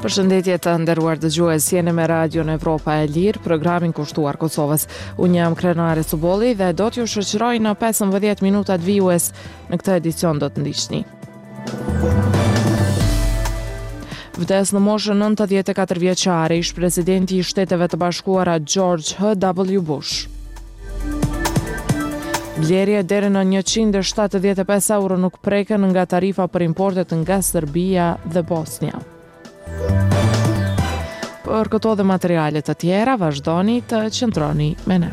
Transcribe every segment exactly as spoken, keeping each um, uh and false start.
Përshëndetje të nderuar dëgjues, jeni me Radion Evropa e Lirë, programin kushtuar Kosovës. Unë jam Krenare Subolli dhe do t'ju shoqëroj në pesëmbëdhjetë minutat vijues. Në këtë edicion do të ndiqni. Vdes në moshën nëntëdhjetë e katër vjeçare ish presidenti i Shteteve të Bashkuara George H W Bush. Blerje deri në njëqind e shtatëdhjetë e pesë euro nuk preken nga tarifa për importet nga Serbia dhe Bosnia. Për këto dhe materiale të tjera, vazhdoni të qëndroni me ne.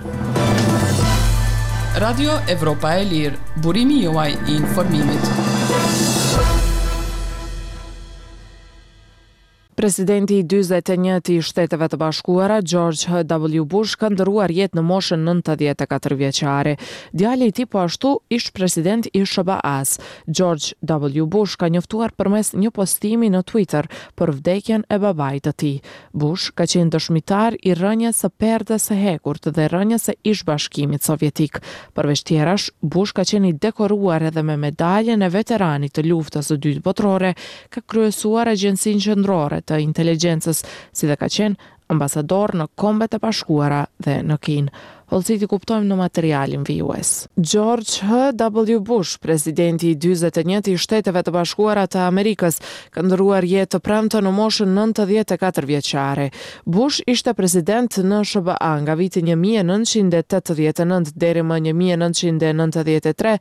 Radio Evropa e Lirë, burimi juaj i informimit. Presidenti i dyzet e një i Shteteve të Bashkuara, George H W Bush, ka ndërruar jetë në moshën nëntëdhjetë e katër vjeçare. Djali i tij po ashtu ish president i S H B A-s, George W Bush, ka njoftuar përmes një postimi në Twitter për vdekjen e babait të tij. Bush ka qenë dëshmitar i rënjes së perdes së hekurt dhe rënjes së ish Bashkimit Sovjetik. Përveç tjerash, Bush ka qenë i dekoruar edhe me medaljen e veteranit të luftës së dytë botërore, ka kryesuar Agjencinë Qendrore të Inteligjencës, si dhe ka qenë ambasador në Kombet e Bashkuara dhe në Kinë. Hollësitë i kuptojmë në materialin vijues. George H W Bush, presidenti i dyzet e një i Shteteve të Bashkuara të Amerikës, ka ndërruar jetë të premten në moshën nëntëdhjetë e katër vjeçare. Bush ishte president në S H B A nga viti një mijë e nëntëqind e tetëdhjetë e nëntë deri më një mijë e nëntëqind e nëntëdhjetë e tre,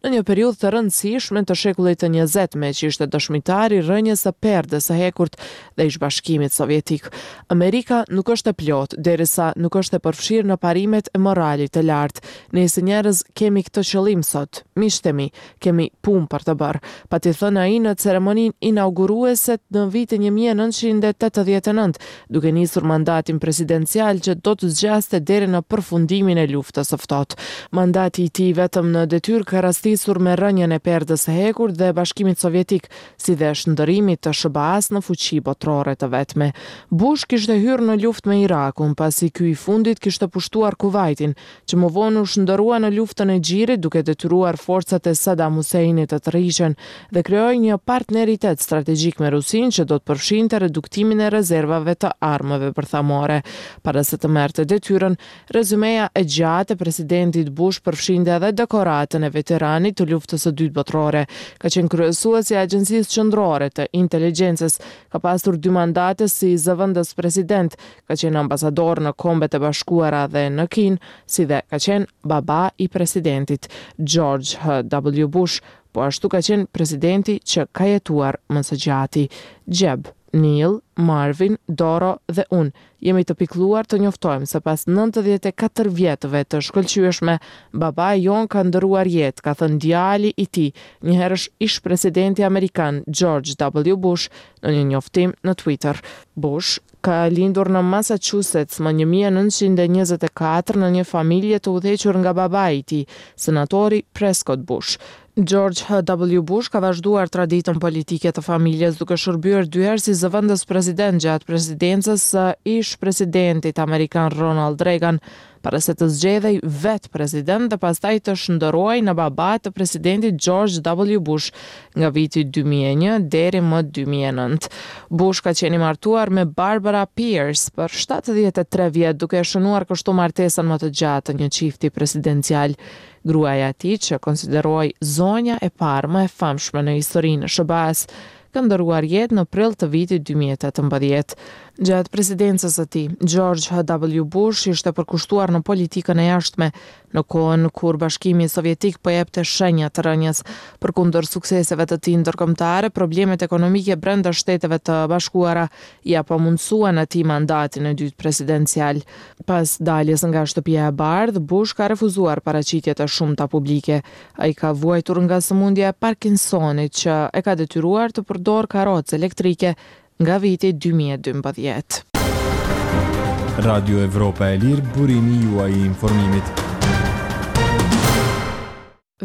në një periudhë të rëndësishme të shekullit të njëzet, me që ishte dëshmitar i rënjes së perdes së hekurt dhe ish Bashkimit Sovjetik. Amerika nuk është e plotë derisa nuk është e përfshirë në parimet e moralit të lartë. Ne si njerëz kemi këtë qëllim sot, miqtë e mi, kemi punë për të bërë, pati thënë ai në ceremoninë inauguruese në vitin një mijë e nëntëqind e tetëdhjetë e nëntë, duke nisur mandatin presidencial që do të zgjaste deri në përfundimin e luftës së ftohtë. Mandati i tij vetëm në detyrë ka rastisur me rënien e perdes së hekurt dhe Bashkimit Sovjetik, si dhe shndërrimit të S H B A-s në fuqi botërore të vetme. Bush kishte hyrë në luftë me Irakun, pasi ky i fundit kishte pushtuar Kuvajtin, që më vonë u shndërrua në luftën e Gjirit, duke detyruar forcat e Saddam Husseinit të tërhiqen dhe krijoi një partneritet strategjik me Rusinë që do të përfshinte reduktimin e rezervave të armëve bërthamore. Para se të merrte detyrën, rezumeja e gjatë e presidentit Bush përfshinte edhe dekoratën e veteranit të luftës së dytë botërore. Ka qenë kryesues i Agjencisë Qendrore të Inteligjencës, ka pasur dy mandate si zëvendës president, ka qenë ambasador në Kombet e Bashkuara dhe në Kinë, si dhe ka qenë baba i presidentit George H W Bush, po ashtu ka qenë presidenti që ka jetuar më së gjati. Jeb, Neil, Marvin, Doro dhe unë jemi të pikluar të njoftojmë se pas nëntëdhjetë e katër vjetëve të shkëlqyeshme, babai jon ka ndërruar jetë, ka thënë djali i tij, njëherësh ish presidenti amerikan George W Bush në një njoftim në Twitter. Bush ka lindur në Massachusetts më një mijë e nëntëqind e njëzet e katër në një familje të udhëhequr nga babai i tij, senatori Prescott Bush. George H W Bush ka vazhduar traditën politike të familjes duke shërbyer dy herë si zëvendës president gjatë presidencës së ish presidentit amerikan Ronald Reagan, para se të zgjedhej vetë president dhe pastaj të shndërrohej në baba të presidentit George W Bush nga viti dy mijë e një deri më dy mijë e nëntë. Bush ka qenë i martuar me Barbara Pierce për shtatëdhjetë e tre vjet, duke shënuar kështu martesën më të gjatë të një çifti presidencial. Gruaja e tij, që konsiderohej zonja e parë më e famshme në historinë e S H B A-s, ka ndërruar jetë në prill të vitit dy mijë e tetëmbëdhjetë. Gjatë presidencës së tij, George H W Bush ishte përkushtuar në politikën e jashtme, në kohën kur Bashkimi Sovjetik po jepte shenja të rënjes. Përkundër sukseseve të tij ndërkombëtare, problemet ekonomike brenda Shteteve të Bashkuara ia pamundësuan atij mandatin e dytë presidencial. Pas daljes nga Shtëpia e Bardhë, Bush ka refuzuar paraqitjet e shumta publike. Ai ka vuajtur nga sëmundja e Parkinsonit që e ka detyruar të përdorë karrocë elektrike nga viti dy mijë e dymbëdhjetë. Radio Evropa e Lirë, burimi juaj i informimit.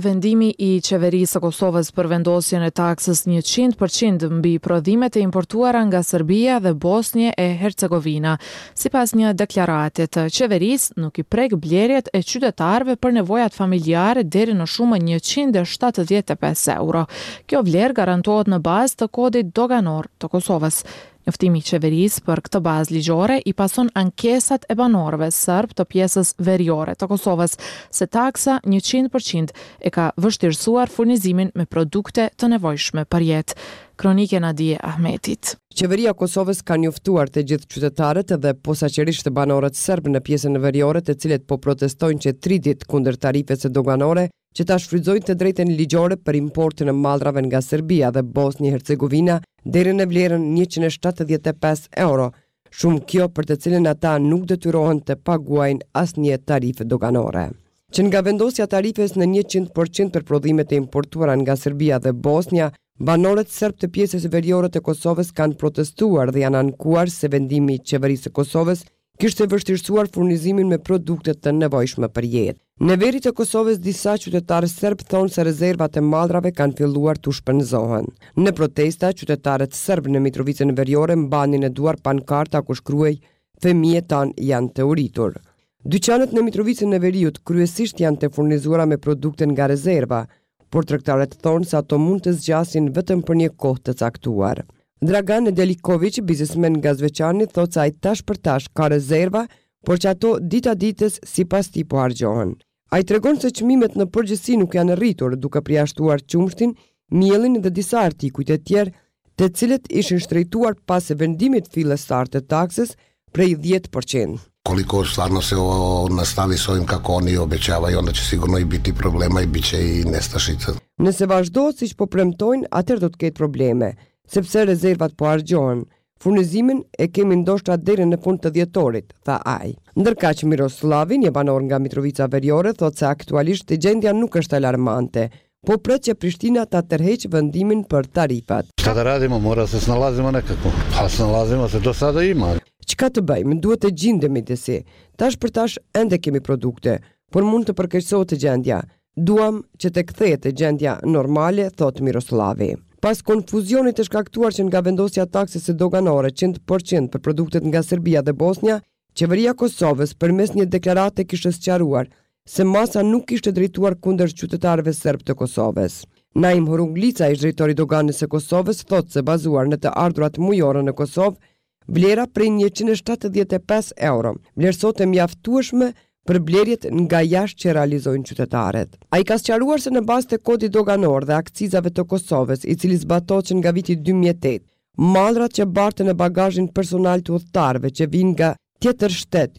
Vendimi i qeverisë së Kosovës për vendosjen e taksës njëqind për qind mbi prodhimet e importuara nga Serbia dhe Bosnjë e Hercegovina, sipas një deklarate të qeverisë, nuk i prek blerjet e qytetarëve për nevojat familjare deri në shumën njëqind e shtatëdhjetë e pesë euro. Kjo vlerë garantohet në bazë të kodit doganor të Kosovës. Njoftimi i qeverisë për këtë bazë ligjore i pason ankesat e banorëve serbë të pjesës veriore të Kosovës se taksa njëqind për qind e ka vështirësuar furnizimin me produkte të nevojshme për jetë. Kronikë e Nadie Ahmetit. Qeveria e Kosovës ka njoftuar të gjithë qytetarët dhe posaçërisht banorët serbë në pjesën veriore të cilët po protestojnë që tri ditë kundër tarifës doganore që ta shfrytëzojnë të drejtën ligjore për importin e mallrave nga Serbia dhe Bosnjë Hercegovina deri në vlerën njëqind e shtatëdhjetë e pesë euro, shumë kjo për të cilën ata nuk detyrohen të paguajnë asnjë tarifë doganore. Që nga vendosja e tarifës në njëqind për qind për prodhimet e importuara nga Serbia dhe Bosnja, banorët serbë të pjesës veriore të Kosovës kanë protestuar dhe janë ankuar se vendimi i qeverisë së Kosovës kishte vështirësuar furnizimin me produkte të nevojshme për jetë. Në veri të Kosovës disa qytetarë serbë thonë se rezervat e mallrave kanë filluar të shpenzohen. Në protesta, qytetarët serbë në Mitrovicën Veriore mbanin në duar pankarta ku shkruhej Fëmijët tanë janë të uritur. Dyqanet në Mitrovicën e Veriut kryesisht janë të furnizuara me produkte nga rezerva, por tregtarët thonë se ato mund të zgjasin vetëm për një kohë të caktuar. Dragan Deliković, biznesmen nga Zveçani, thotë se ai tash për tash ka rezerva, por që ato dita ditës sipas tij po harxhohen. Ai tregon se çmimet në përgjithësi nuk janë rritur, duke përjashtuar qumështin, miellin dhe disa artikuj të tjerë, të cilët ishin shtrejtuar pas vendimit fillestar të taksës prej dhjetë për qind. Koliko stvarno se ovo nastavi s ovim kako oni obećavaju, onda će sigurno i biti problema i bit će i nestašica. Nëse vazhdohet siç po premtojnë, atëherë do të ketë probleme, sepse rezervat po harxhohen. Furnizimin e kemi ndoshta deri në fund të dhjetorit, tha ai. Ndërkaq Miroslavi, një banor nga Mitrovica Veriore, thotë se aktualisht gjendja nuk është alarmante, po pret që Prishtina ta tërheqë vendimin për tarifat. Šta da radimo, mora se snalazimo nekako. Pa snalazimo se, do sada ima. Çka të bëjmë, duhet të gjindemi disi. Tash për tash ende kemi produkte, por mund të përkeqësohet gjendja. Duam që të kthehet gjendja normale, thotë Miroslavi. Pas konfuzionit të shkaktuar që nga vendosja taksës së doganore qind për qind për produktet nga Serbia dhe Bosnja, qeveria e Kosovës përmes një deklarate kishte sqaruar se masa nuk ishte drejtuar kundër qytetarëve serbë të Kosovës. Naim Horuglica, ish drejtori i doganës së Kosovës, thotë se bazuar në të ardhurat mujore në Kosovë, vlera prej njëqind e shtatëdhjetë e pesë euro vlerësohet e mjaftueshme për blerjet nga jashtë që realizojnë qytetarët. Ai ka sqaruar se në bazë të kodit doganor dhe akcizave të Kosovës, i cili zbatohet që nga viti dy mijë e tetë, mallrat që barten në bagazhin personal të udhëtarëve që vijnë nga tjetër shtet,